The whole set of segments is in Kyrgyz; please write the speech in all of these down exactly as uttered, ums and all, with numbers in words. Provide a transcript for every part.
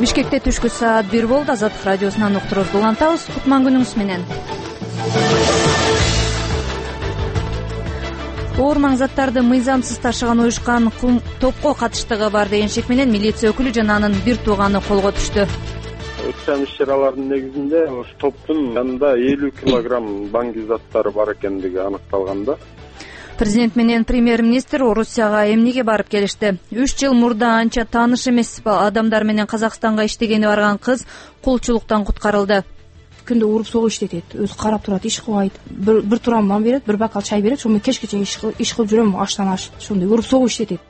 Бишкекте түшкү саат бир болду. Азаттык радиосунан уктуруубузду улантабыз. Кутман күнүңүз менен. Оор маң заттарды мыйзамсыз ташыган уюшкан топко катыштыгы бар деген шек менен милиция өкүлү жана анын бир тууганы колго түштү. Өткөн иш-чаралардын негизинде ошо топтун янында элүү килограмм баңги заттары бар экендиги аныкталган да. Президент менен премьер-министр Орусияга эмнеге барып келишти? Үч жыл мурда анча тааныш эмес адамдар менен Казакстанга иштегени барган кыз кулчулуктан куткарылды. Күндө уруп согуп иштетет, өзү карап турат, иш кылбайт. Бир, бир турам нан берет, бир бакал чай берет, ошону кечке чейин иш кылып жүрөм, аштан аш. Ошондой уруп согуп иштетет.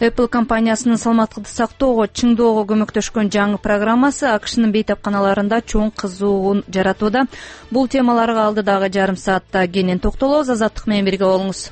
Apple компаниясынын саламаттыкты сактоого, чыңдоого көмөктөшкөн жаңы программасы АКШнын бейтапканаларында чоң кызуун жаратууда. Бул темаларга алдыдагы жарым саатта кенен токтолобуз. Азаттык менен бирге болуңуз.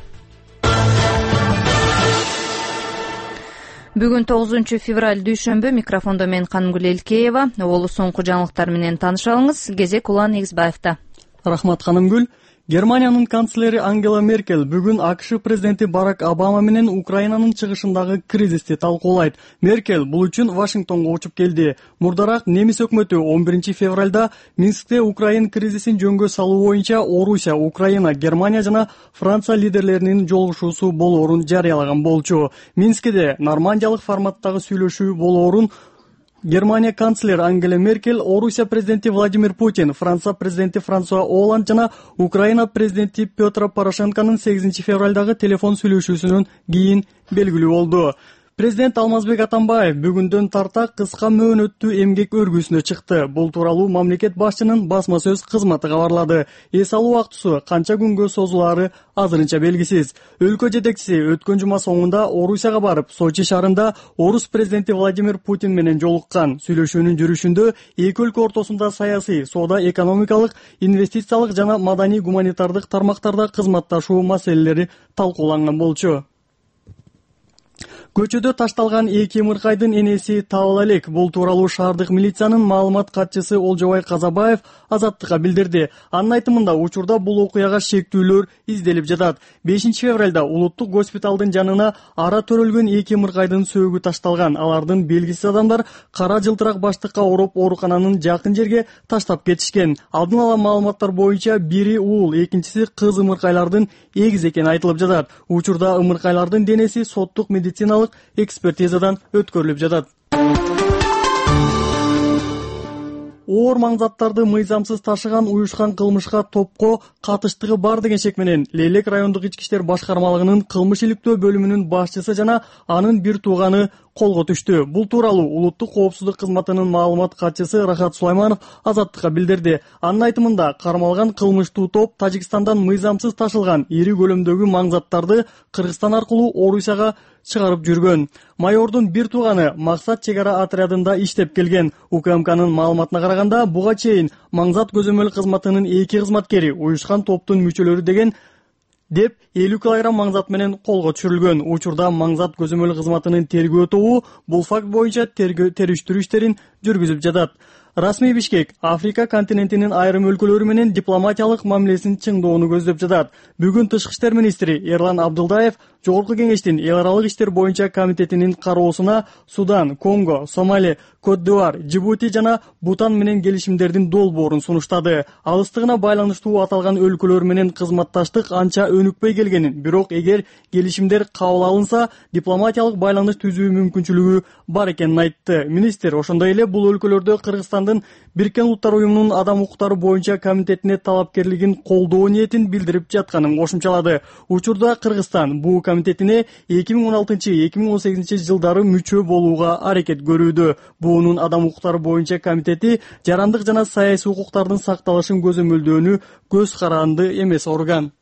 Бүгүн тогузунчу февраль дүйшөмбү. Микрофондо мен Канымгүл Элкеева. Олу соңку жаңылыктар менен тааныша алыңыз. Кезек Улан Эгизбаевда. Рахмат Канымгүл. Германиянын канцлери Ангела Меркель бүгүн АКШ президенти Барак Обама менен Украинанын чыгышындагы кризисти талкуулайт. Меркель бул үчүн Вашингтонго учуп келди. Мурдараак немис өкмөтү он биринчи февралда Минскте Украин кризисин жөнгө салуу боюнча Орусия, Украина, Германия жана Франция лидерлеринин жолугушуусу болоорун жарыялаган болчу. Минскте нормандиялык форматтагы сүйлөшүү болоорун Германия канцлер Ангела Меркель, Орусия президенти Владимир Путин, Франция президенти Франсуа Оланд жана Украина президенти Петр Порошенконун сегизинчи февралдагы телефон сүйлөшүүсүнөн кийин белгилүү болду. Президент Алмазбек Атамбаев бүгүндөн тарта кыска мөөнөттүү эмгек өргүүсүнө чыкты. Бул тууралуу мамлекет башчынын басма сөз кызматы кабарлады. Эс алуу актысы канча күнгө созулаары азырынча белгисиз. Өлкө жетекчиси өткөн жума соңунда Орусияга барып, Сочи шаарында Орус президенти Владимир Путин менен жолуккан. Сүйлөшүүнүн жүрүшүндө эки өлкө ортосунда саясий, соода, экономикалык, инвестициялык жана маданий гуманитардык тармактарда кызматташуу маселелери талкууланган болчу. Көчөдө ташталган эки ымыркайдын энеси табыла элек. Бул тууралуу шаардык милициянын маалымат катчысы Олжобай Казабаев Азаттыкка билдирди. Анын айтымында учурда бул окуяга шектүүлөр изделип жатат. бешинчи февралда улуттук госпиталдын жанына ара төрөлгөн эки ымыркайдын сөөгү ташталган. Алардын белгисиз адамдар кара жылтырак баштыкка ороп оорукананын жакын жерге таштап кетишкен. Алдын ала маалыматтар боюнча бири уул, экинчиси кыз ымыркайлардын эгиз экени айтылып жатат. Учурда ымыркайлардын денеси соттук медициналык экспертизадан өткөрүлүп жатат. Оор маң заттарды мыйзамсыз ташыган уюшкан кылмышка топко катыштыгы бар деген шек менен Лейлек райондук ички иштер башкармалыгынын кылмыш иликтөө бөлүмүнүн башчысы жана анын бир тууганы колго түштү. Бул тууралуу улуттук коопсуздук кызматынын маалымат катчысы Рахат Сулайманов Азаттыкка билдирди. Анын айтымында кармалган кылмыштуу топ Тажикстандан мыйзамсыз ташылган ири көлөмдөгү маң заттарды Кыргызстан аркылуу Орусияга чыгарып жүргөн. Майордун бир тууганы Максат чек ара отрядында иштеп келген. УКМКнын маалыматына караганда, буга чейин маңзат көзөмөл кызматынын эки кызматкери уюшкан топтун мүчөлөрү деген деп элүү килограмм маңзат менен колго түшүрүлгөн. Учурда маңзат көзөмөл кызматынын тергөө тобу бул факт боюнча териштирүү иштерин жүргүзүп жатат. Расмий Бишкек Африка континентинин айрым өлкөлөрү менен дипломатиялык мамилесин чыңдоону көздөп жатат. Бүгүн Тышкы иштер министри Эрлан Абдылдаев Жогорку кеңештин эл аралык иштер боюнча комитетинин кароосуна Судан, Конго, Сомали, Кот-д'Ивуар, Жибути жана Бутан менен келишимдердин долбоорун сунуштады. Алыстыгына байланыштуу аталган өлкөлөр менен кызматташтык анча өнүкпөй келгенин, бирок эгер келишимдер кабыл алынса, дипломатиялык байланыш түзүү мүмкүнчүлүгү бар экенин айтты. Министр ошондой эле бул өлкөлөрдө Кыргызстандын Бириккен Улуттар уюмунун адам укуктары боюнча комитетине талапкерлигин колдоо ниетин билдирип жатканын кошумчалады. Учурда Кыргызстан бул комитетине эки миң он алтынчы — эки миң он сегизинчи жылдары мүчө болууга аракет көрүүдө. Буунун адам укуктары боюнча комитети жарандык жана саясий укуктардын сакталышын көзөмөлдөөнү көз каранды эмес орган.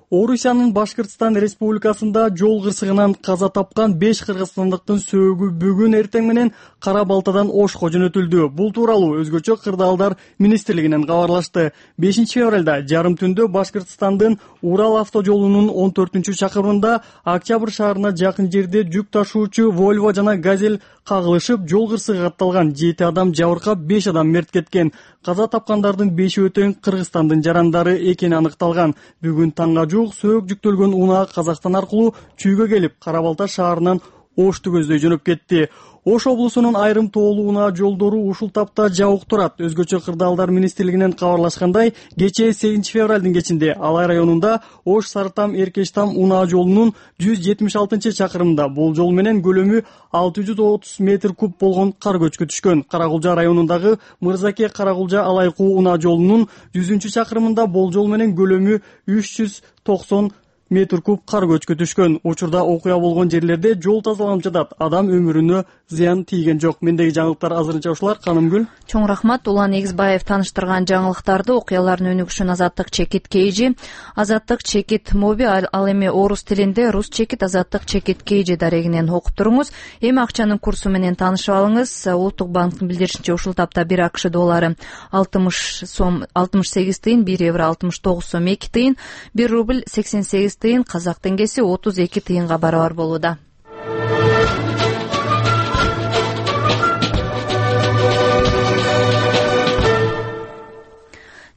Орусиянын Башкыртстан Республикасында жол кырсыгынан каза тапкан беш кыргызстандыктын сөөгү бүгүн эртең менен Кара Балтадан Ошко жөнөтүлдү. Бул тууралуу өзгөчө кырдаалдар министрлигинен кабарлашты. бешинчи февралда жарым түндө Башкыртстандын Урал автожолунун он төртүнчү чакырымында Октябрь шаарына жакын жерде жүк ташуучу Volvo жана Газель кагылышып, жол кырсыгы катталган. жети адам жабыркап, беш адам мерт кеткен. Каза тапкандардын бешөө тең Кыргызстандын жарандары экени аныкталган. Бүгүн таңга жук сөөгү жүктөлгөн унаа Казакстан аркылуу Чүйгө келип, Кара Балта шаарынан Ошты көздөй жөнөп кетти. Ош облусунун айрым тоолуу унаа жолдору ушул тапта жабык турат. Өзгөчө кырдаалдар министрлигинен кабарлашкандай, кечээ сегизинчи февралдын кечинде Алай районунда Ош Сарытам Эркештам унаа жолунун жүз жетимиш алтынчы чакырымында бул жол менен көлөмү алты жүз отуз метр куб болгон кар көчкү түшкөн. Каракулжа районундагы Мырзаке Каракулжа Алайкуу унаа жолунун жүзүнчү чакырымында бул жол менен көлөмү үч жүз токсон метр куб кар көчкү түшкөн. Учурда окуя болгон жерлерде жол тазаланып жатат. Адам өмүрүнө зыян тийген жок. Мендеги жаңылыктар азырынча ушулар. Канымгүл. Чоң рахмат. Улан Эгизбаев тааныштырган жаңылыктарды окуялардын өнүгүшүн Азаттык Чекит Кейжи, Азаттык Чекит Моби, ал эми орус тилинде Рус Чекит Азаттык Чекит Кейжи дарегинен окуп туруңуз. Эми акчанын курсу менен таанышып алыңыз. Улуттук банктын билдиришинче ушул тапта бир АКШ доллары алтымыш сом алтымыш сегиз тыйын, бир евро алтымыш тогуз сом эки тыйын, бир рубль сексен сегиз тыйын, казак теңгеси отуз эки тыйынга барабар болууда.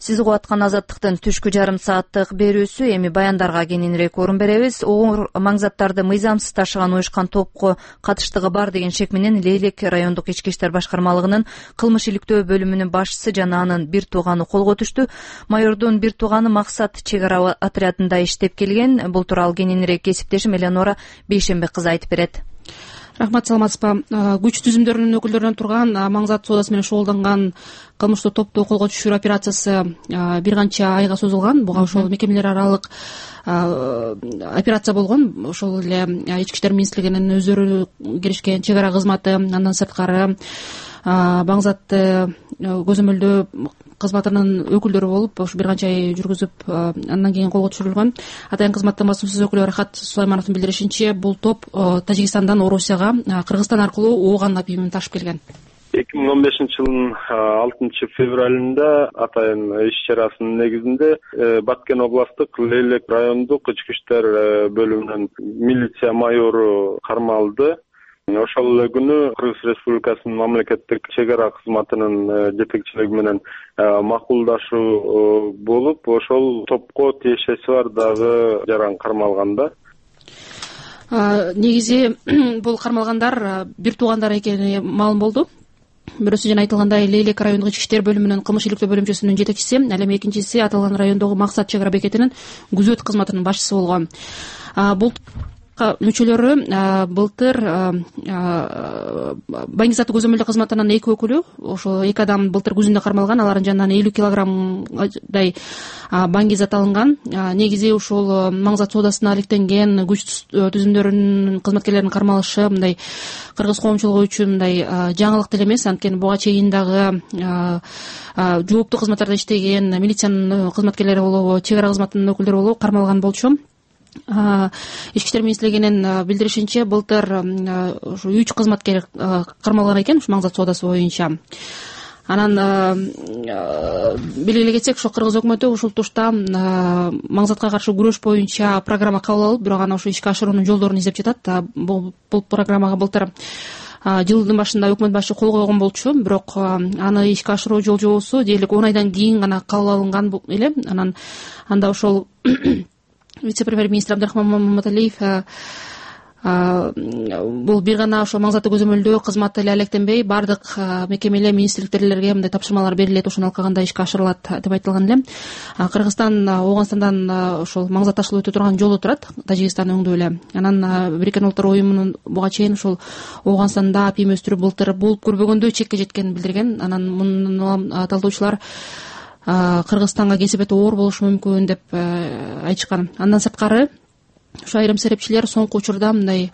Сиз угуп аткан Азаттыктын түшкү жарым сааттык берүүсү. Эми баяндарга кененирээк орун беребиз. Оор маңзаттарды мыйзамсыз ташыган уюшкан топко катыштыгы бар деген шек менен Лейлек райондук ички иштер башкармалыгынын кылмыш иликтөө бөлүмүнүн башчысы жана анын бир тууганы колго түштү. Майордун бир тууганы Максат чек ара отрядында иштеп келген. Бул тууралуу кененирээк кесиптешим Эленора Бейшенбек кызы айтып берет. Рахмат, саламатсызбы. Күч түзүмдөрүнүн өкүлдөрүнөн турган маңзат соодасы менен шогулданган кылмыштуу топту колго түшүрүү операциясы бир канча айга созулган. Буга ошол мекемелер аралык операция болгон. Ошол эле ички иштер министрлигинин өздөрү киришкен чек ара кызматы, андан сырткары маңзатты көзөмөлдөө кызматынын өкүлдөрү болуп ушу бир канча ай жүргүзүп, андан кийин колго түшүрүлгөн. Атайын кызматтын басымсыз өкүлү Рахат Сулаймановдун билдиришинче, бул топ Тажикстандан Орусияга, Кыргызстан аркылуу ооган апийимин ташып келген. эки миң он бешинчи жылдын алтынчы февралында атайын иш чарасынын негизинде Баткен областтык Лейлек райондук ички иштер бөлүмүнүн милиция майору кармалды. Ошол эле күнү Кыргыз Республикасынын мамлекеттик чек ара кызматынын жетекчилиги менен макулдашуу болуп, ошол топко тиешеси бар дагы жаран кармалган да. Негизи бул кармалгандар бир туугандар экени маалым болду. Бирөөсү жана айтылгандай Лейлек райондук ички иштер бөлүмүнүн кылмыш иликтөө бөлүмчөсүнүн жетекчиси, ал эми экинчиси аталган райондогу Максат чек ара бекетинин күзөт кызматынын башчысы болгон. Бул мүчөлөрү былтыр Баңгизаттык көзөмөлдөө кызматынын эки өкүлү, ошол эки адам былтыр күзүндө кармалган, алардын жанынан элүү килограммдай баңгизат алынган. Негизи ушул маңзат соодасына алектенген күч түзүмдөрүнүн кызматкерлеринин кармалышы мындай кыргыз коомчулугу үчүн мындай жаңылык деле эмес. Анткени буга чейин дагы жооптуу кызматтарда иштеген милициянын кызматкерлери болобу, чек ара кызматынын өкүлдөрү болобу кармалган болчу. Ички иштер министрлигинин билдиришинче, былтыр ушу үч кызматкер кармалган экен ушу маңзат соодасы боюнча. Анан белгилей кетсек, ошо кыргыз өкмөтү ушул тушта маңзатка каршы күрөш боюнча программа кабыл алып, бирок аны ошо ишке ашыруунун жолдорун издеп жатат. Бул программага былтыр жылдын башында өкмөт башы кол койгон болчу, бирок аны ишке ашыруу жол жобосу дээрлик он айдан кийин гана кабыл алынган эле. Анан анда ошол вице-премьер-министр Абдрахман Маматалиев бул бир гана ошо маңзатты көзөмөлдөө кызматы эле алектенбей, баардык мекемелер, министрликтерге мындай тапшырмалар берилет, ошону алкаганда ишке ашырылат деп айтылган эле. Кыргызстан Ооганстандан ошол маңзат ташылып өтө турган жолу турат, Тажикстан өңдүү эле. Анан Бириккен Улуттар уюмунун буга чейин ошол Ооганстанда апийим өстүрүү былтыр болуп көрбөгөндөй чекке жеткенин билдирген. Анан муну талдоочулар Кыргызстанга кесепети оор болушу мүмкүн деп айтышкан. Андан сырткары ушу айрым серепчилер соңку учурда мындай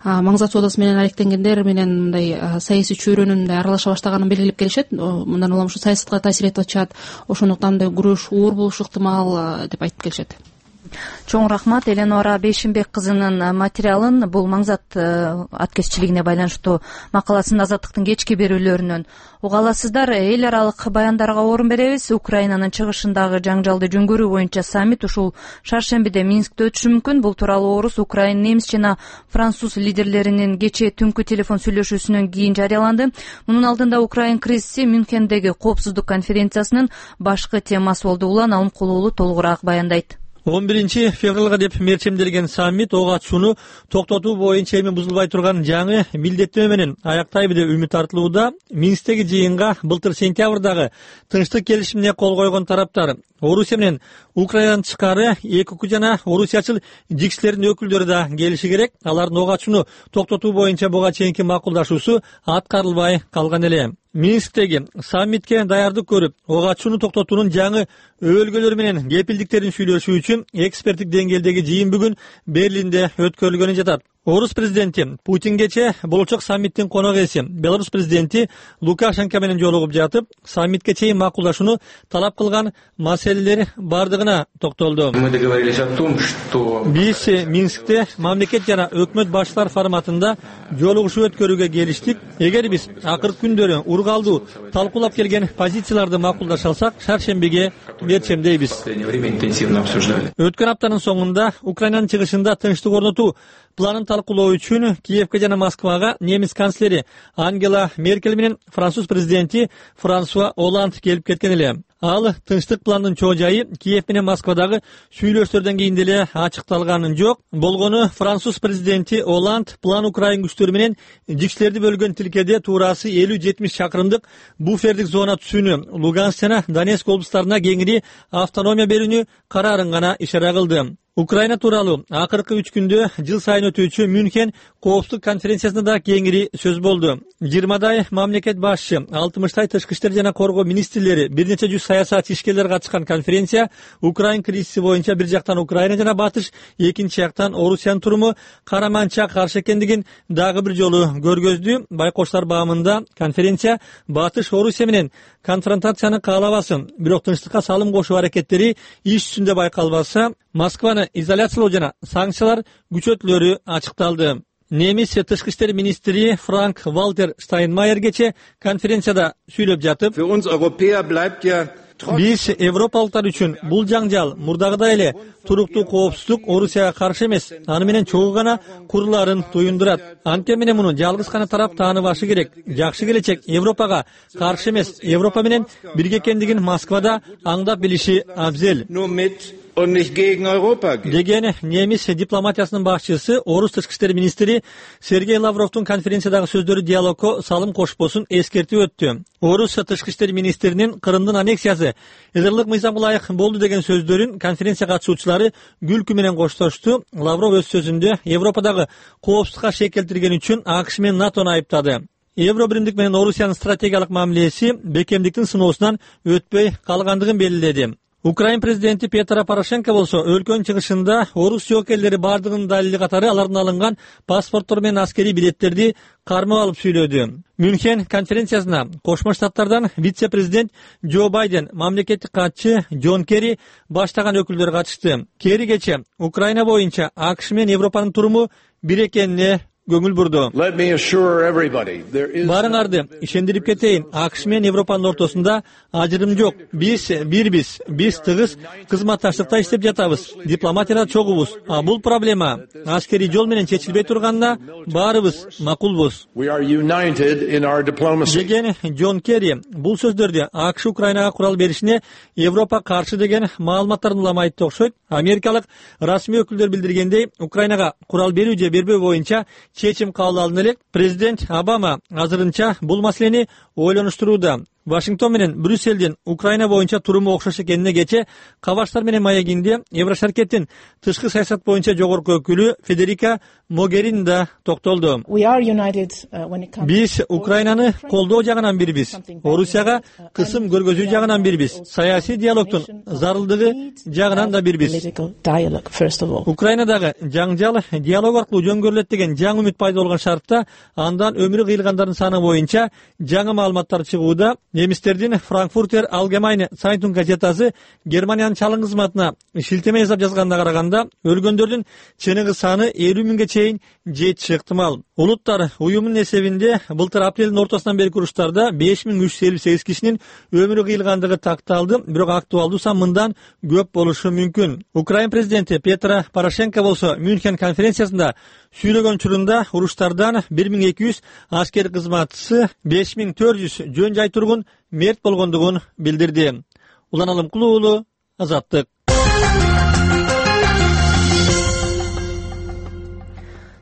маңзат соодасы менен алектенгендер менен мындай саясий чөйрөнүн мындай аралаша баштаганын белгилеп келишет. Мындан улам ушу саясатка таасир этип атышат, ошондуктан мындай күрөш оор болушу ыктымал деп айтып келишет. Чоң рахмат. Эленора Бейшенбек кызынын материалын, бул маңзат аткезчилигине байланыштуу макаласын Азаттыктын кечки берүүлөрүнөн уга аласыздар. Эл аралык баяндарга орун беребиз. Украинанын чыгышындагы жаңжалды жөнгөрүү боюнча саммит ушул шаршембиде Минскте өтүшү мүмкүн. Бул тууралуу орус, украин, немис жана француз лидерлеринин кечээ түнкү телефон сүйлөшүүсүнөн кийин жарыяланды. Мунун алдында Украин кризиси Мюнхендеги коопсуздук конференциясынын башкы темасы болду. Улан Алымкулуулу толугураак баяндайт. он биринчи февралга деп мерчемделген саммит ого атышууну токтотуу боюнча эми бузулбай турган жаңы милдеттенме менен аяктайбы деп үмүт артылууда. Минсктеги жыйынга былтыр сентябрдагы тынчтык келишимине кол койгон тараптар Орусия менен Украинадан тышкары эки укук жана орусиячыл жикшилердин өкүлдөрү да келиши керек. Алардын ого атышууну токтотуу боюнча буга чейинки макулдашуусу аткарылбай калган эле. Минсктеги саммитке даярдык көрүп, ого атышууну токтотуунун жаңы өбөлгөлөрү менен кепилдиктерин сүйлөшүү үчүн эксперттик деңгээлдеги жыйын бүгүн Берлинде өткөрүлгөнү жатат. Орус президенти Путингече болочок саммиттин конок ээси Беларусь президенти Лукашенко менен жолугуп жатып, саммитке чейин макулдашууну талап кылган маселелер бардыгына токтолду. Биз Минскте мамлекет жана өкмөт башчылар форматында жолугушуу өткөрүүгө келиштик. Эгер биз акыркы күндөрү ургалдуу талкуулап келген позицияларды макулдаша алсак, шаршембиге мерчемдейбиз. Өткөн аптанын соңунда Украинанын чыгышында тынчтык орнотуу планын талкуулоо үчүн Киевке жана Москвага немис канцлери Ангела Меркель менен француз президенти Франсуа Оланд келип кеткен эле. Ал тынчтык пландын чоо жайы Киев менен Москвадагы сүйлөшүүлөрдөн кийин деле ачыкталганы жок. Болгону француз президенти Оланд план Украин күчтөрү менен жикшилерди бөлгөн тилкеде туурасы элүү жетимиш чакырымдык буфердик зона түзүүнү, Луганск жана Донецк облустарына кеңири автономия берүүнү карарын гана ишара кылды. Украина тууралуу акыркы үч күндө жыл сайын өтүүчү Мюнхен коопсуздук конференциясында да кеңири сөз болду. жыйырмадай мамлекет башчы, алтымыштай тышкы иштер жана коргоо министрлери, бир нече жүз саясатчы ишкерлер катышкан конференция Украин кризиси боюнча бир жактан Украина жана Батыш, экинчи жактан Орусиянын туруму караманча каршы экендигин дагы бир жолу көргөздү. Байкоштар баамында конференция Батыш Орусия менен конфронтацияны каалабасын, бирок тынчтыкка салым кошуу аракеттери иш жүзүндө байкалбаса, Москваны изоляциялоо жана санкциялар күчөтүлөрү ачыкталды. Немис тышкы иштер министри Франк Валтер Штайнмайер кече конференцияда сүйлөп жатып, биз европалыктар үчүн бул жаңжал мурдагыдай эле туруктуу коопсуздук Орусияга каршы эмес, аны менен чогуу гана курулаарын туюндурат. Анткени менен муну жалгыз гана тарап тааныбашы керек. Жакшы келечек Европага каршы эмес, Европа менен бирге экендигин Москвада аңдап билиши абзел деген немис дипломатиясынын башчысы, орус тышкы иштер министри Сергей Лавровдун конференциядагы сөздөрү диалогко салым кошпосун эскертип өттү. Орус тышкы иштер министринин Кырымдын аннексиясы эдерлык мыйзамга ылайык болду деген сөздөрүн конференция катышуучулары күлкү менен коштошту. Лавров өз сөзүндө Европадагы коопсуздукка шек келтирген үчүн АКШ менен НАТОну айыптады. Евро биримдик менен Орусиянын стратегиялык мамилеси бекемдиктин сыноосунан өтпөй калгандыгын белгиледи. Украин президенти Петро Порошенко болсо өлкөнүн чыгышында орус жоокерлери бардыгынын далили катары алардын алынган паспорттор менен аскерий билеттерди кармап алып сүйлөдү. Мюнхен конференциясына Кошмо Штаттардан вице-президент Джо Байден, мамлекеттик катчы Джон Керри баштаган өкүлдөр катышты. Керри кече Украина боюнча АКШ менен Европанын туруму бир экенине көңүл бурду. Барыңарды ишендирип кетейин, АКШ менен Европанын ортосунда ажырым жок. Биз бирбиз, биз тыгыз кызматташтыкта иштеп жатабыз, дипломатияда чогубуз. А бул проблема аскерий жол менен чечилбей турганда баарыбыз макулбуз деген Джон Керри. Бул сөздөрдө АКШ Украинага курал беришине Европа каршы деген маалыматтарын улам айтты окшойт. Америкалык расмий өкүлдөр билдиргендей, Украинага курал берүү же бербөө боюнча чечим кабыл алынды элек. Президент Обама азырынча бул маселени ойлонуштурууда. Вашингтон менен Брюссельдин Украина боюнча туруму окшош экенине кече Кабаштар менен маегинде Еврошаркеттин тышкы саясат боюнча жогорку өкүлү Федерика Могерини да токтолду. Биз Украинаны колдоо жагынан бирбиз, Орусияга кысым көргөзүү жагынан бирбиз, саясий диалогдун зарылдыгы жагынан да бирбиз. Украинадагы жаңжал диалог аркылуу жөнгөрүлөт деген жаңы үмүт пайда болгон шартта андан өмүрү кыйылгандардын саны боюнча жаңы маалыматтар чыгууда. Немистердин Франкфуртер Allgemeine Zeitung газетасы Германиянын чалым кызматына шилтеме жасап жазганына караганда, өлгөндөрдүн чыныгы саны элүү миңге чейин жетиши ыктымал. Улуттар уюмунун эсебинде былтыр апрелдин ортосунан берки уруштарда беш миң үч жүз элүү сегиз кишинин өмүрү кыйылгандыгы такталды, бирок актуалдуу сан мындан көп болушу мүмкүн. Украин президенти Петро Порошенко болсо Мюнхен конференциясында сүйлөгөн учурунда уруштардан бир миң эки жүз аскер кызматчысы, беш миң төрт жүз жөн жай тургун мерт болгондугун билдирди. Улан Алымкулуу, Азаттык.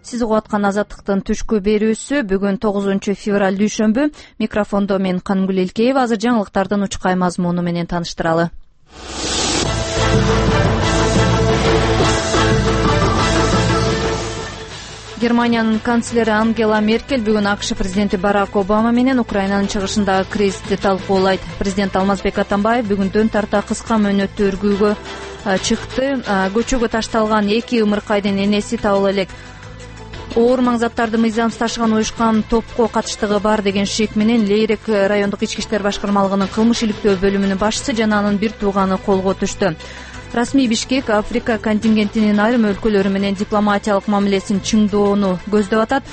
сиз угуп аткан Азаттыктын түшкү берүүсү бүгүн тогузунчу февраль дүйшөмбү. Микрофондо мен Кангүл Элкеева. Азыр жаңылыктардын учкай мазмуну менен тааныштыралы. Германиянын канцлери Ангела Меркель бүгүн АКШ президенти Барак Обама менен Украинанын чыгышындагы кризисти талкуулайт. Президент Алмазбек Атамбаев бүгүндөн тарта кыска мөөнөттөргүүгө чыкты. Көчөгө ташталган эки ымыркайдын энеси табыла элек. Оор маң заттарды мыйзамсыз ташыган уюшкан топко катыштыгы бар деген шек менен Лейрек райондук ички иштер башкармалыгынын кылмыш иликтөө бөлүмүнүн башчысы жана анын бир тууганы колго түштү. Расмий Бишкек Африка контингентинин айрым өлкөлөрү менен дипломатиялык мамилесин чыңдоону көздөп атат.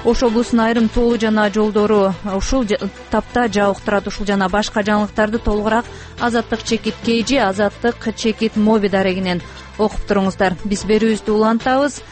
Ош облусунун айрым тоолу жана жолдору ушул тапта жабык турат. Ушул жана башка жаңылыктарды толугураак Азаттык чекит Кейжи, Азаттык чекит Моби дарегинен окуп туруңуздар. Биз берүүбүздү улантабыз.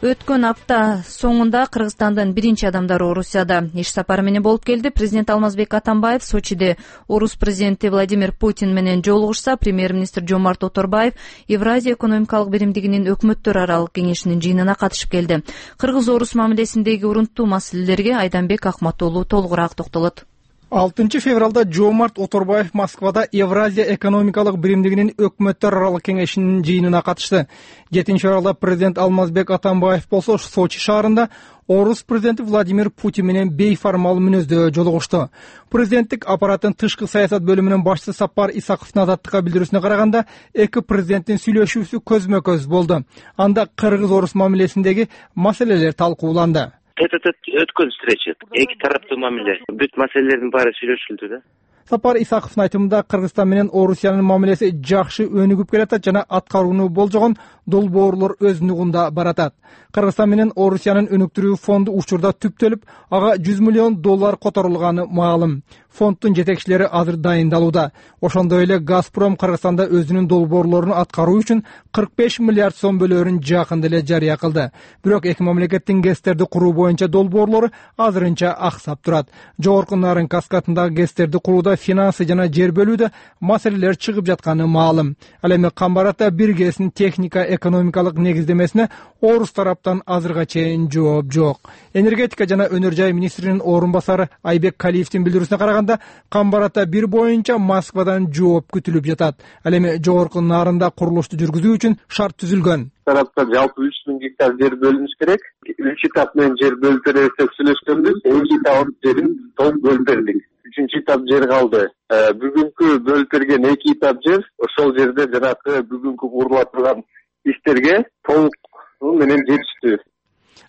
Өткөн апта соңунда Кыргызстандын биринчи адамдары Орусияда иш сапары менен болуп келди. Президент Алмазбек Атамбаев Сочиде Орус президенти Владимир Путин менен жолугушса, премьер-министр Жомарт Оторбаев Евразия экономикалык биримдигинин өкмөттөр аралык кеңешинин жыйынына катышып келди. Кыргыз-орус мамилесиндеги урунттуу маселелерге Айданбек Акматуулу толугураак токтолот. алтынчы февралда Жомарт Оторбаев Москвада Евразия экономикалык биримдигинин өкмөттөр аралык кеңешинин жыйынына катышты. жетинчи февралда президент Алмазбек Атамбаев болсо Сочи шаарында Орус президенти Владимир Путин менен бейформал мүнөздө жолугушту. Президенттик аппараттын тышкы саясат бөлүмүнүн башчысы Сапар Исаковдун Азаттыкка билдирүүсүнө караганда, эки президенттин сүйлөшүүсү көзмө-көз болду. Анда кыргыз-орус мамилесиндеги маселелер талкууланды. Тет-а-тет өткөн встреча. Эки тараптуу мамиле. Бүт маселелердин баары сүйлөшүлдү да. Сапар Исаковдун айтымында Кыргызстан менен Орусиянын мамилеси жакшы өнүгүп келатат жана аткарууну болжогон долбоорлор өз нугунда баратат. Кыргызстан менен Орусиянын өнүктүрүү фонду учурда түптөлүп, ага жүз миллион доллар которулганы маалым. Фонддун жетекчилери азыр дайындалууда. Ошондой эле Газпром Кыргызстанда өзүнүн долбоорлорун аткаруу үчүн кырк беш миллиард сом бөлөөрүн жакында эле жарыя кылды. Бирок эки мамлекеттин ГЭСтерди куруу боюнча долбоорлору азырынча аксап турат. Жогорку Нарын каскадындагы ГЭСтерди курууда финансы жана жер бөлүүдө маселелер чыгып жатканы маалым. Ал эми Камбарата бир ГЭСтин техника экономикалык негиздемесине Орус тараптан азырга чейин жооп жок. Энергетика жана өнөр жай министринин орун басары Айбек Калиевдин билдирүүсүнө караганда, Камбарата бир боюнча Москвадан жооп күтүлүп жатат. Ал эми жогорку Нарында курулушту жүргүзүү үчүн шарт түзүлгөн. Тараптан жалпы үч миң гектар жер бөлүнүш керек. Үч этап менен жер бөлүп беребиз деп сүйлөшкөнбүз. Эки этап жерин толук бөлүп бердик. Үчүнчү этап жер калды. Бүгүнкү бөлүп берген эки этап жер, ошол жерде жанагы бүгүнкү курулуп турган иштерге толук менен жетиштүү.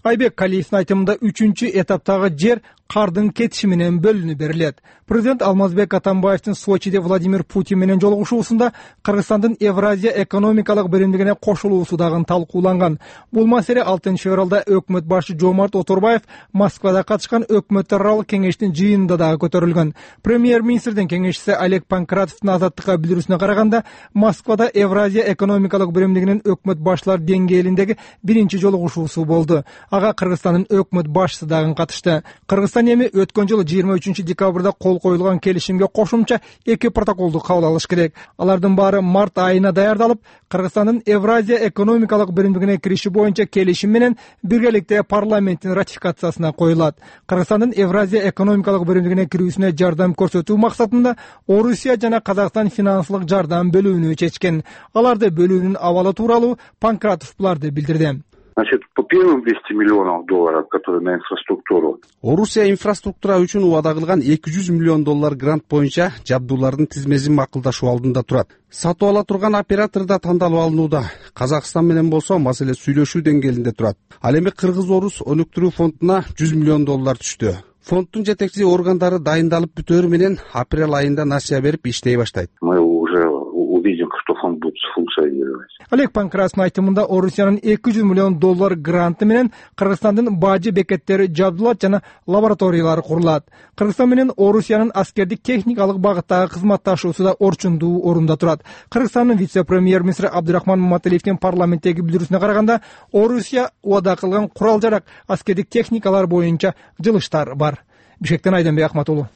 Айбек Калиевдин айтымында үчүнчү этаптагы жер кардын кетиши менен бөлүнүп берилет. Президент Алмазбек Атамбаевдин Сочиде Владимир Путин менен жолугушуусунда Кыргызстандын Евразия экономикалык биримдигине кошулуусу дагы талкууланган. Бул маселе алтынчы февралда өкмөт башчы Жомарт Оторбаев Москвада катышкан өкмөттөр аралык кеңештин жыйынында дагы көтөрүлгөн. Премьер-министрдин кеңешчиси Олег Панкратовдун Азаттыкка билдирүүсүнө караганда, Москвада Евразия экономикалык биримдигинин өкмөт башчылар деңгээлиндеги биринчи жолугушуусу болду. Ага Кыргызстандын өкмөт башчысы дагы катышты. Кыргызстан эми өткөн жылы жыйырма үчүнчү декабрда кол коюлган келишимге кошумча эки протоколду кабыл алыш керек. Алардын баары март айына даярдалып, Кыргызстандын Евразия экономикалык биримдигине кириши боюнча келишим менен биргеликте парламенттин ратификациясына коюлат. Кыргызстандын Евразия экономикалык биримдигине кирүүсүнө жардам көрсөтүү максатында Орусия жана Казакстан финансылык жардам бөлүүнү чечкен. Аларды бөлүүнүн абалы тууралуу Панкратов буларды билдирди. Значит, по первым двести миллионов долларов, которые на инфраструктуру. Орусия инфраструктура үчүн убада кылган эки жүз миллион доллар грант боюнча жабдуулардын тизмесин макулдашуу алдында турат. Сатып ала турган оператор да тандалып алынууда. Казакстан менен болсо маселе сүйлөшүү деңгээлинде турат. Ал эми Кыргыз-Орус өнүктүрүү фондуна жүз миллион доллар түштү. Фонддун жетекчи органдары дайындалып бүтөөрү менен апрель айында насыя берип иштей баштайт. Мы уже увидим, что фонд будет функционировать. Олег Панкратовдун айтымында Орусиянын эки жүз миллион доллар гранты менен Кыргызстандын бажы бекеттери жабдылат жана лабораториялар курулат. Кыргызстан менен Орусиянын аскердик техникалык багыттагы кызматташуусу да орчундуу орунда турат. Кыргызстандын вице-премьер-министри Абдырахман Маматалиевдин парламенттеги билдирүүсүнө караганда, Орусия убада кылган курал-жарак, аскердик техникалар боюнча жылыштар бар. Бишкектен Айданбек Акматуулу.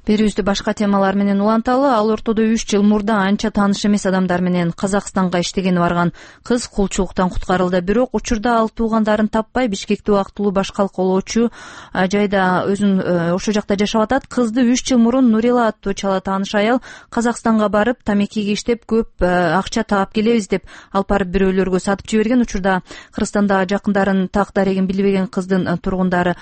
берүүбүздү башка темалар менен уланталы. Ал ортодо үч жыл мурда анча тааныш эмес адамдар менен Казакстанга иштегени барган кыз кулчулуктан куткарылды. Бирок учурда ал туугандарын таппай Бишкекте убактылуу баш калкалоочу жайда өзүн ошол жакта жашап атат. Кызды үч жыл мурун Нурила аттуу чала тааныш аял Казакстанга барып тамекиге иштеп көп акча таап келебиз деп алып барып бирөөлөргө сатып жиберген. Учурда Кыргызстанда жакындарын так дарегин билбеген кыздын тургундары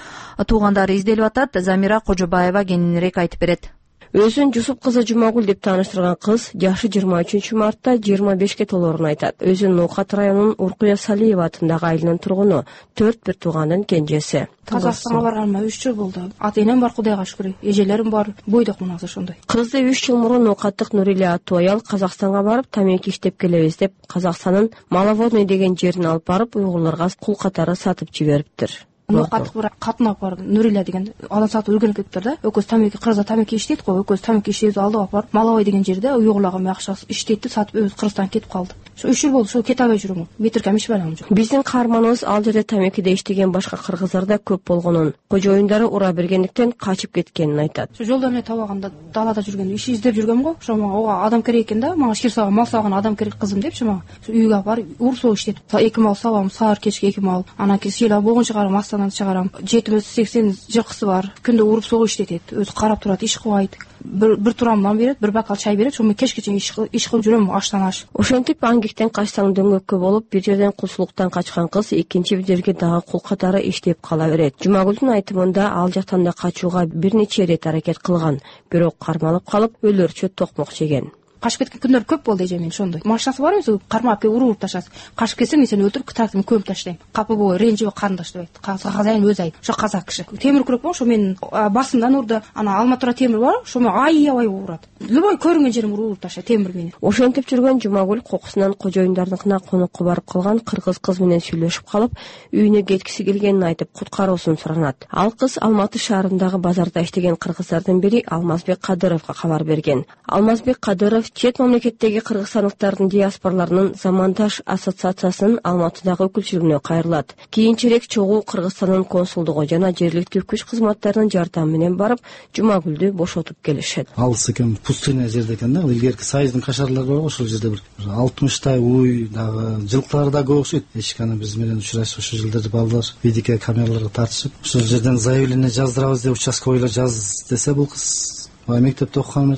туугандары изделип атат. Замира Кожобаева кененирээк айтып берет. Өзүн Жусуп кызы Жумагүл деп тааныштырган кыз жашы жыйырма үчүнчү мартта жыйырма бешке толоорун айтат. Өзүн Ноокат районунун Уркуя Салиева атындагы айылынын тургуну, төрт бир туугандын кенжеси. Казакстанга барганыма үч жыл болду. Ата энем бар, Кудайга шүкүр. Эжелерим бар. Бойдокмун азыр ошондой. Кызды үч жыл мурун Ноокаттык Нурила аттуу аял Казакстанга барып тамеки иштеп келебиз деп Казакстандын Маловодный деген жерин алып барып уйгурларга кул катары сатып жибериптир. Ноокаттык бир катынап бар, Нурила деген адам сатып үлгөнүп кетиптир да. Экөөбүз тамеки Кыргызда тамеки иштейт го, экөөбүз тамеки иштейбиз, алдыга алып барып Маловой деген жерде уйгурларга мен акча иштейт деп сатып өзү Кыргызстанга кетип калды. Ошо үч жыл болду, ошо кете албай жүрөм. Метркем иш бар жок. Биздин каарманыбыз ал жерде тамекиде иштеген башка кыргыздар да көп болгонун, кожоюндары ура бергендиктен качып кеткенин айтат. Ошо жолдо эмне табаганда далада жүргөндө иш издеп жүргөм го. Ошо мага адам керек экен да, мага шир саган, мал саган адам керек кызым депчи мага. Үйгө алып барып уруп согуп иштетип, эки мал сабам, саар кечки эки мал, анан кийин сыйлап болгон чыгарам, астананы чыгарам. жетимиз сексен жылкысы бар. Күндө уруп согуп иштетет. Өзү карап турат, иш кылбайт. Бир бир турам нан берет, бир бакал чай берет. Ошо кечке чейин иш кылып жүрөм, аштан аш. Ошентип аңгектен качсаң дөңгөккө болуп, бир жерден кулчулуктан качкан кыз экинчи бир жерге дагы кул катары иштеп кала берет. Жумагүлдүн айтымында ал жактан да качууга бир нече ирет аракет кылган, бирок кармалып калып өлөрчө токмок жеген. Качып кеткен күндөр көп болду эже мен ошондой. Машинасы бар эмес, кармап келип уруп ташасыз. Качып кетсең мен сени өлтүрүп трактордун көмүп таштайм. Капы бой, ренжибей карындаш деп айт. Казайын өзү айт. Ошо казак киши. Темир күрөк бар, ошо менин басымдан урду. Ана алматура темир бар, ошо мен аябай урат. Любой көрүнгөн жерим уруп таштайт темир менен. Ошентип жүргөн Жумагүл кокусунан кожоюндарыныкына конокко барып калган кыргыз кыз менен сүйлөшүп калып, үйүнө кеткиси келгенин айтып, куткаруусун суранат. Ал кыз Алматы шаарындагы базарда иштеген кыргыздардын бири Алмазбек Кадыровго кабар берген. Алмазбек Кадыров чет мамлекеттеги кыргызстандыктардын диаспораларынын Замандаш ассоциациясынын Алматыдагы өкүлчүлүгүнө кайрылат. Кийинчерээк чогуу Кыргызстандын консулдугу жана жергиликтүү күч кызматтарынын жардамы менен барып Жумагүлдү бошотуп келишет. Алыс экен, пустыня жерде экен да, илгерки сайыздын кашарлары бар, ошол жерде бир алтымыштай уй дагы жылкылары да көп окшойт. Эчканы биз менен учурашып ошол жылдары балдар видео камераларга тартышып, ошол жерден заявление жаздырабыз деп участковыйлар жаз десе, бул кыз мектепте окуган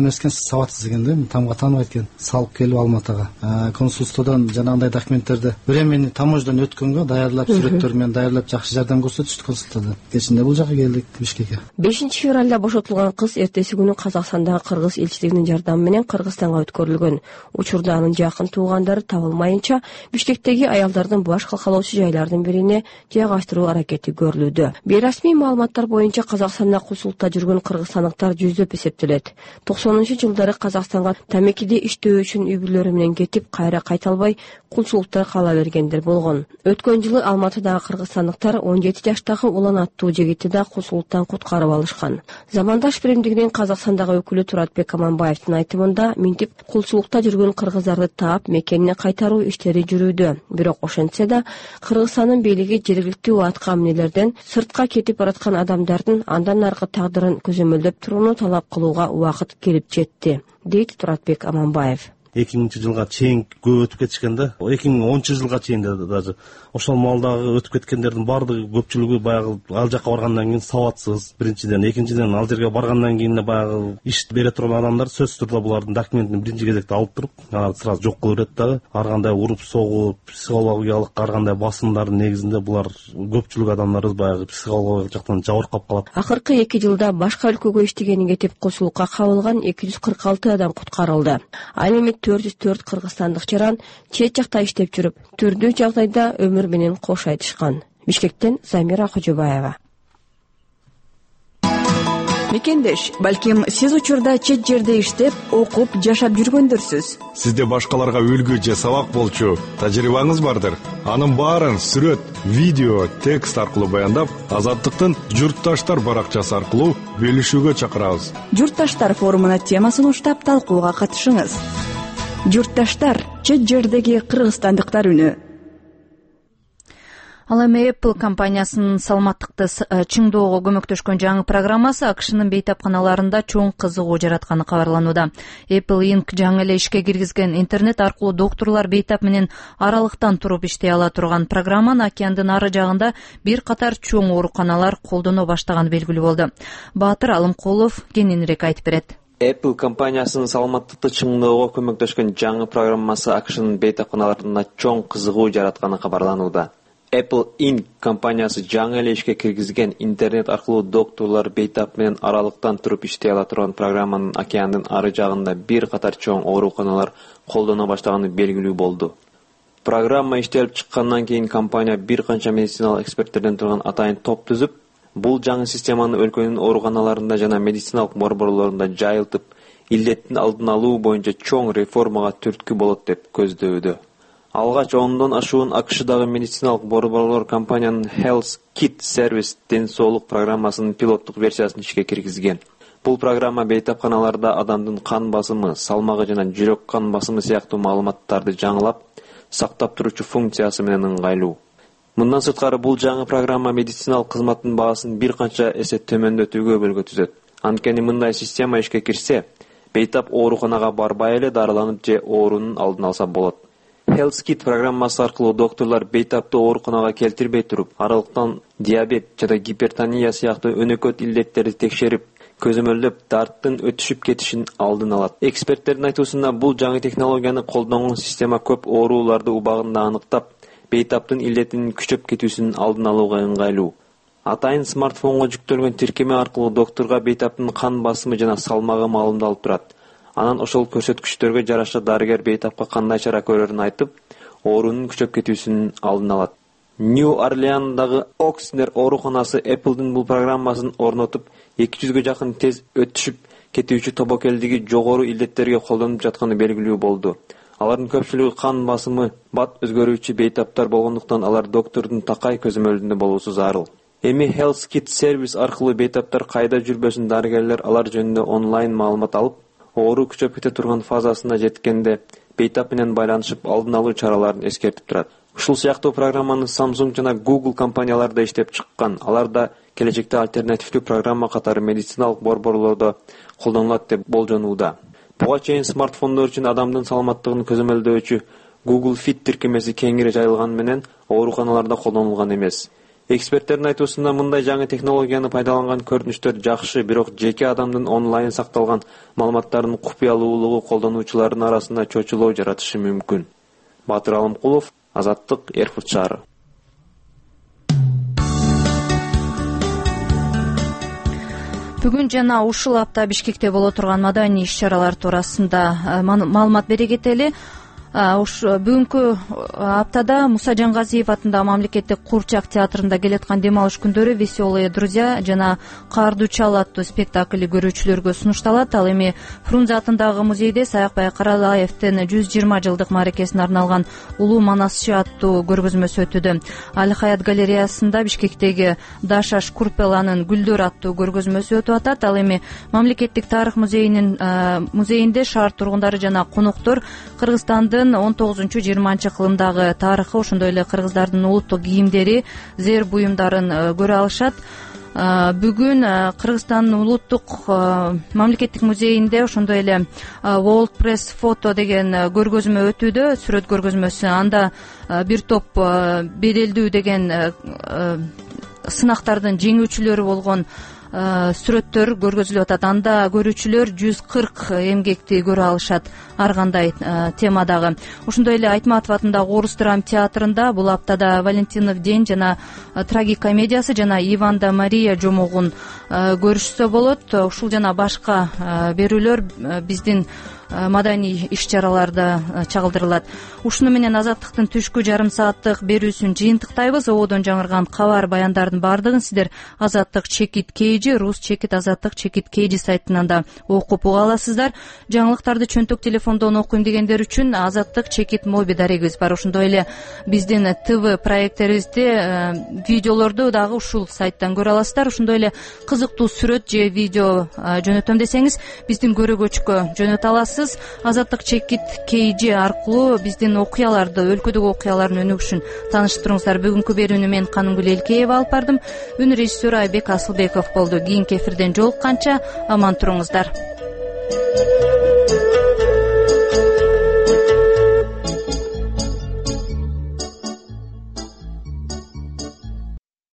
эмес экен, сабатсыз экен да, тамга тааныбайт экен. Салып келип Алматыга консулстводон жанагындай документтерди временный таможнядан өткөнгө даярдап, сүрөттөр менен даярдап жакшы жардам көрсөтүштү консулдордон. Кечинде бул жака келдик Бишкекке. бешинчи февралда бошотулган кыз эртеси күнү Казакстандагы кыргыз элчилигинин жардамы менен Кыргызстанга өткөрүлгөн. Учурда анын жакын туугандары табылмайынча Бишкектеги аялдардын баш калкалоочу жайлардын бирине жайгаштыруу аракети көрүлүүдө. Бейрасмий маалыматтар боюнча Казакстанда кулчулукта жүргөн кыргызстандыктар жүздөп эсептелет. токсонунчу жылдары Казакстанга тамекиде иштөө үчүн үй бүлөлөрү менен кетип, кайра кайта албай кулчулукта кала бергендер болгон. Өткөн жылы Алматыдагы кыргызстандыктар он жети жаштагы Улан аттуу жигитти да кулчулуктан куткарып алышкан. Замандаш биримдигинин Казакстандагы өкүлү Туратбек Аманбаевдин айтымында, минтип кулчулукта жүргөн кыргыздарды таап мекенине кайтаруу иштери жүрүүдө. Бирок ошентсе да Кыргызстандын бийлиги жергиликтүү атка эмнелерден сыртка кетип бараткан адамдардын андан аркы тагдырын көзөмөлдөп турууну талап кылууга убакыт келип жетти, дейт Туратбек Аманбаев. эки миңинчи жылга чейин көп өтүп кетишкен да. эки миң онунчу жылга чейин даже ошол маалдагы өтүп кеткендердин баардыгы көпчүлүгү баягы ал жака баргандан кийин сабатсыз. Биринчиден, экинчиден ал жерге баргандан кийин баягы иш бере турган адамдар сөзсүз түрдө булардын документин биринчи кезекте алып туруп, анан сразу жок кылып берет дагы. Ар кандай уруп согуп, психологиялык ар кандай басымдардын негизинде булар көпчүлүк адамдарыбыз баягы психологиялык жактан жабыркап калат. Акыркы эки жылда башка өлкөгө иштегени кетип кулчулукка кабылган эки жүз кырк алты адам куткарылды. Ал эми төрт жүз төрт кыргызстандык жаран чет жакта иштеп жүрүп, түрдүү жагдайда өмүр менен кош айтышкан. Бишкектен Замира Кожобаева. Мекендеш, балким сиз учурда чет жерде иштеп, окуп, жашап жүргөндөрсүз. Сизде башкаларга үлгү же сабак болчу тажрыйбаңыз бардыр. Анын баарын сүрөт, видео, текст аркылуу баяндап, Азаттыктын Журтташтар баракчасы аркылуу бөлүшүүгө чакырабыз. Журтташтар форумуна темасын уштап талкууга катышыңыз. Журтташтар — чет жердеги кыргызстандыктар үнү. Ал эми Apple компаниясынын саламаттыкты чыңдоого көмөктөшкөн жаңы программасы АКШнын бейтапканаларында чоң кызыгуу жаратканы кабарланууда. Apple Inc жаңы эле ишке киргизген интернет аркылуу доктурлар бейтап менен аралыктан туруп иштей ала турган программаны океандын ары жагында бир катар чоң ооруканалар колдоно баштаганы белгилүү болду. Баатыр Алымкулов кененирээк айтып берет. Apple компаниясынын саламаттыкты чыңдоого көмөктөшкөн жаңы программасы АКШнын бейтапканаларында чоң кызыгуу жаратканы кабарланууда. Apple Inc компаниясы жаңы эле ишке киргизген интернет аркылуу доктурлар бейтап менен аралыктан туруп иштей ала турган программанын океандын ары жагында бир катар чоң ооруканалар колдоно баштаганы белгилүү болду. Программа иштелип чыккандан кийин компания бир канча медициналык эксперттерден турган атайын топ түзүп, бул жаңы системаны өлкөнүн ооруканаларында жана медициналык борборлорунда жайылтып, илдеттин алдын алуу боюнча чоң реформага түрткү болот деп көздөдө. Алгач ондон ашуун АКШдагы медициналык борборлор компаниянын Health Kit Service ден соолук программасынын пилоттук версиясын ишке киргизген. Бул программа бейтапканаларда адамдын кан басымы, салмагы жана жүрөк кан басымы сыяктуу маалыматтарды жаңылап, сактап туруучу функциясы менен ыңгайлуу. Мындан сырткары бул жаңы программа медициналык кызматтын баасын бир канча эсе төмөндөтүүгө өбөлгө түзөт. Анткени мындай система ишке кирсе, бейтап ооруканага барбай эле дарыланып же оорунун алдын алса болот. Health Kit программасы аркылуу доктурлар бейтапты ооруканага келтирбей туруп, аралыктан диабет жана гипертония сыяктуу өнөкөт илдеттерди текшерип, көзөмөлдөп, дарттын өтүшүп кетишин алдын алат. Эксперттердин айтуусунда бул жаңы технологияны колдонгон система көп ооруларды убагында аныктап, бейтаптын илдетинин күчөп кетүүсүнүн алдын алууга ыңгайлуу. Атайын смартфонго жүктөлгөн тиркеме аркылуу доктурга бейтаптын кан басымы жана салмагы маалымдалып турат. Анан ошол көрсөткүчтөргө жараша дарыгер бейтапка кандай чара көрөрүн айтып, оорунун күчөп кетүүсүнүн алдын алат. Нью-Орлеандагы Окснер ооруканасы Apple'дын бул программасын орнотуп, эки жүзгө жакын тез өтүшүп кетүүчү тобокелдиги жогору илдеттерге колдонуп жатканы белгилүү болду. Алардын көпчүлүгү кан басымы бат өзгөрүүчү бейтаптар болгондуктан алар доктордун такай көзөмөлүндө болуусу зарыл. Эми Health Kit Service аркылуу бейтаптар кайда жүрбөсүн дарыгерлер алар жөнүндө онлайн маалымат алып, оору күчөп кете турган фазасына жеткенде бейтап менен байланышып алдын алуу чараларын эскертип турат. Ушул сыяктуу программаны Samsung жана Google компаниялары да иштеп чыккан. Алар да келечекте альтернативдүү программа катары медициналык борборлордо колдонулат деп болжонууда. Буга чейин смартфондор үчүн адамдын саламаттыгын көзөмөлдөөчү Google Fit тиркемеси кеңири жайылган менен ооруканаларда колдонулган эмес. Эксперттердин айтуусунда мындай жаңы технологияны пайдаланган көрүнүштөр жакшы, бирок жеке адамдын онлайн сакталган маалыматтарынын купуялуулугу колдонуучулардын арасында чочулоо жаратышы мүмкүн. Баатыр Алымкулов, Азаттык, Эрфурт шаары. Бүгүн жана ушул апта Бишкекте боло турган маданий иш-чаралар туурасында маалымат бере кетели. Бүгүнкү аптада Муса Жангазиев атындагы мамлекеттик Курчак театрында келаткан дем алыш күндөрү «Веселые друзья» жана «Каарды чал» аттуу спектакли көрүүчүлөргө сунушталат. Ал эми Фрунзе атындагы музейде Саякбай Каралаевдин жүз жыйырма жылдык мааракесине арналган «Улуу манасчы» аттуу көргөзмөсү өтүүдө. Али Хаят галереясында Бишкектеги Даша Шкурпеланын «Гүлдөр» аттуу көргөзмөсү өтүп атат. Ал эми мамлекеттик тарых музейинин музейинде шаар тургундары жана коноктор Кыргызстандын он тогузунчу жыйырманчы кылымдагы тарыхы, ошондой эле кыргыздардын улуттук кийимдери, зер буюмдарын көрө алышат. Бүгүн Кыргызстандын улуттук мамлекеттик музейинде ошондой эле World Press Photo деген көргөзмө өтүүдө, сүрөт көргөзмөсү. Анда бир топ беделдүү деген сынактардын жеңүүчүлөрү болгон сүрөттөр көргөзүлүп атат. Анда көрүүчүлөр жүз кырк эмгекти көрө алышат ар кандай темадагы. Ошондой эле Айтматов атындагы Орус драма театрында бул аптада Валентинов день жана трагикомедиясы жана Иван да Мария жомогун көрүшсө болот. Ушул жана башка берүүлөр биздин маданий иш-чараларда чагылдырылат. Ушуну менен Азаттыктын түшкү жарым сааттык берүүсүн жыйынтыктайбыз. Ободон жаңырган кабар баяндардын баардыгын сиздер Азаттык чекит кейжи, Рус чекит Азаттык чекит кейжи сайтынан да окуп уга аласыздар. Жаңылыктарды чөнтөк телефондон окуйм дегендер үчүн Азаттык чекит моби дарегибиз бар. Ошондой эле биздин ТВ проекттерибизди, видеолорду дагы ушул сайттан көрө аласыздар. Ошондой эле кызыктуу сүрөт же видео жөнөтөм десеңиз биздин көрөгөчкө жөнөтө аласыз. ыңгайсыз. Азаттык чекит kg аркылуу биздин окуяларды, өлкөдөгү окуялардын өнүгүшүн тааныштырыңыздар. Бүгүнкү берүүнү мен Канымгүл Элкеева алып бардым. Үн режиссеру Айбек Асылбеков болду. Кийинки эфирден жолукканча аман туруңуздар.